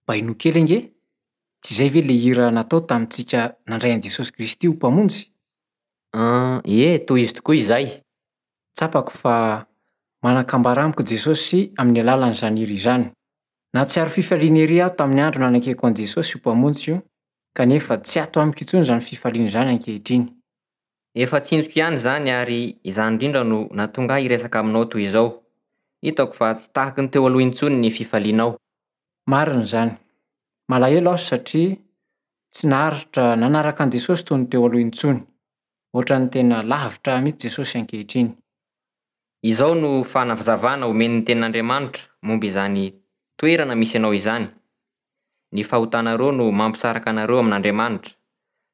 Mba henoy kely ange! Tsy izay ve ilay hira natao tamintsika nandray an'i Jesosy Kristy ho Mpamonjy? An, ie, tohizo tokoa izay. Tsapako fa manan-kambara amiko Jesosy amin'ny alalan'izany hira izany. Nahatsiaro fifaliana ery aho tamin'ny andro nanekeko an'i Jesosy ho Mpamonjiko, kanefa tsy ato amiko intsony izany fifaliana izany ankehitriny. Efa tsinjoko ihany izany ary izany indrindra no nahatonga ahy hiresaka aminao toy izao. Hitako fa tsy tahaky ny teo aloha intsony ny fifalianao. Marina izany. Malahelo aho satria tsy naharitra nanaraka an'i Jesosy toy ny teo aloha intsony. Hoatran'ny tena lavitra ahy mihitsy Jesosy ankehitriny. Izao no fanazavana omen'ny Tenin'Andriamanitra momba izany toerana misy anao izany, Ny fahotanareo no mampisaraka anareo amin'Andriamanitra.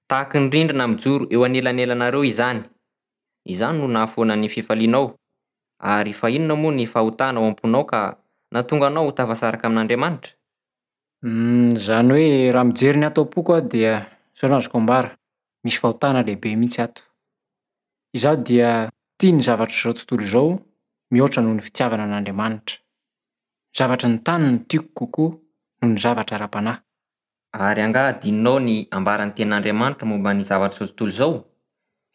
Tahaky ny rindrina mijoro eo anelanelanareo izany. Izany no nahafoana ny fifalianao. Ary fa inona moa ny fahotana ao am-ponao ka nahatonga anao ho tafasaraka amin'Andriamanitra? Humm, izany hoe raha mijery ny ato am-poko aho dia izao no azoko ambara, misy fahotana lehibe mihitsy ato. Izaho dia tia ny zavatr'izao tontolo izao mihoatra noho ny fitiavana an'Andriamanitra. Ny zavatry ny tany no tiako kokoa noho ny zavatra ara-panahy. Ary angaha adinonao ny ambaran'ny Tenin'Andriamanitra momba ny zavatr'izao tontolo izao?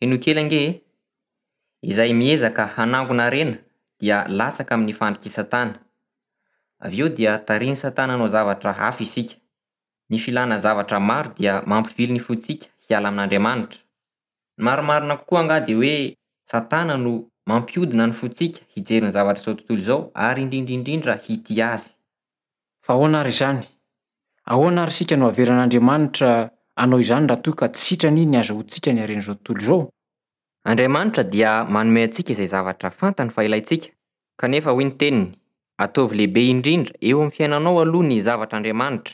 Henoy kely ange e! Izay miezaka hanangona harena dia latsaka amin'ny fandrik'i Satana. Avy eo dia tarihin'i Satana hanao zavatra hafa isika. Ny filana zavatra maro dia mampivily ny fontsika hiala amin'Andriamanitra. Ny marimarina kokoa angaha dia hoe Satana no mampihodina ny fontsika hijery ny zavatr'izao tontolo izao ary indrindra indrindra hitia azy. Fa ahoana ary izany? Ahoana ary isika no avelan'Andriamanitra hanao izany raha toa ka tsy sitrany ny hazahoantsika ny haren'izao tontolo izao? Andriamanitra dia manome antsika izay zavatra fantany fa ilaintsika, kanefa hoy ny teniny, Ataovy lehibe indrindra eo amin'ny fiainanao aloha ny zavatr'Andriamanitra,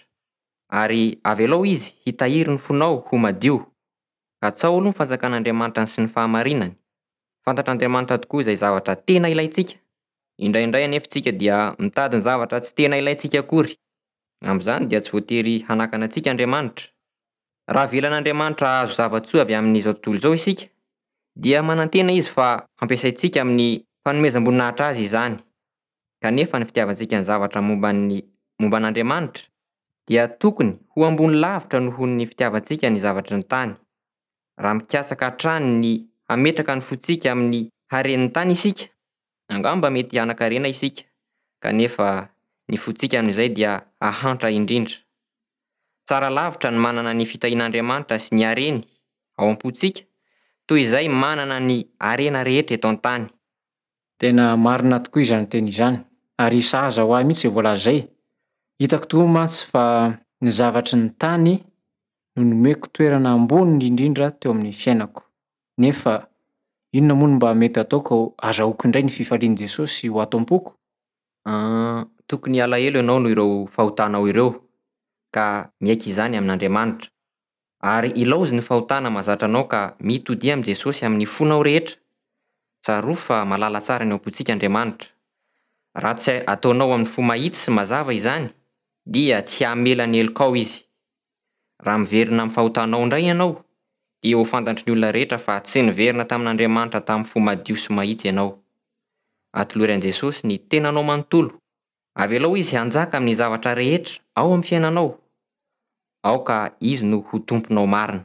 ary avelao Izy hitahiry ny fonao ho madio. Katsaho aloha ny fanjakan'Andriamanitra sy ny fahamarinany. Fantatr'Andriamanitra tokoa izay zavatra tena ilaintsika. Indraindray anefa isika dia mitady ny zavatra tsy tena ilaintsika akory. Amin'izany dia tsy voatery hanakana antsika Andriamanitra. Raha avelan'Andriamanitra hahazo zava-tsoa avy amin'izao tontolo izao isika, dia manantena Izy fa hampiasaintsika amin'ny fanomezam-boninahitra Azy izany. Kanefa ny fitiavantsika ny zavatra momba ny momba an'Andriamanitra dia tokony ho ambony lavitra noho ny fitiavantsika ny zavatry ny tany. Raha mikatsaka hatrany ny hametraka ny fontsika amin'ny haren'ny tany isika, angamba mety hanan-karena isika, kanefa ny fontsika amin'izay dia hahantra indrindra. Tsara lavitra ny manana ny fitahian'Andriamanitra sy ny hareny ao am-pontsika toy izay manana ny harena rehetra eto an-tany. Tena marina tokoa izany teny izany, ary sahaza ho ahy mihitsy izay voalaza izay. Hitako tokoa mantsy fa ny zavatry ny tany no nomeko toerana ambony indrindra teo amin'ny fiainako. Nefa inona moa no mba mety hataoko hazahoako indray ny fifalian'i Jesosy ho ato am-poko? An, tokony halahelo ianao noho ireo fahotanao ireo, ka miaiky izany amin'Andriamanitra. Ary ilaozy ny fahotana mahazatra anao ka mitodia amin'i Jesosy amin'ny fonao rehetra. Tsarovy fa mahalala tsara ny ao am-pontsika Andriamanitra. Raha tsy ataonao amin'ny fo mahitsy sy mazava izany, dia tsy hamela ny helokao Izy. Raha miverina amin'ny fahotanao indray ianao, dia ho fantatry ny olona rehetra fa tsy niverina tamin'Andriamanitra tamin'ny fo madio sy mahitsy ianao. Atolory an'i Jesosy ny tenanao manontolo. Avelao Izy hanjaka amin'ny zavatra rehetra ao amin'ny fiainanao. Aoka Izy no ho Tomponao marina.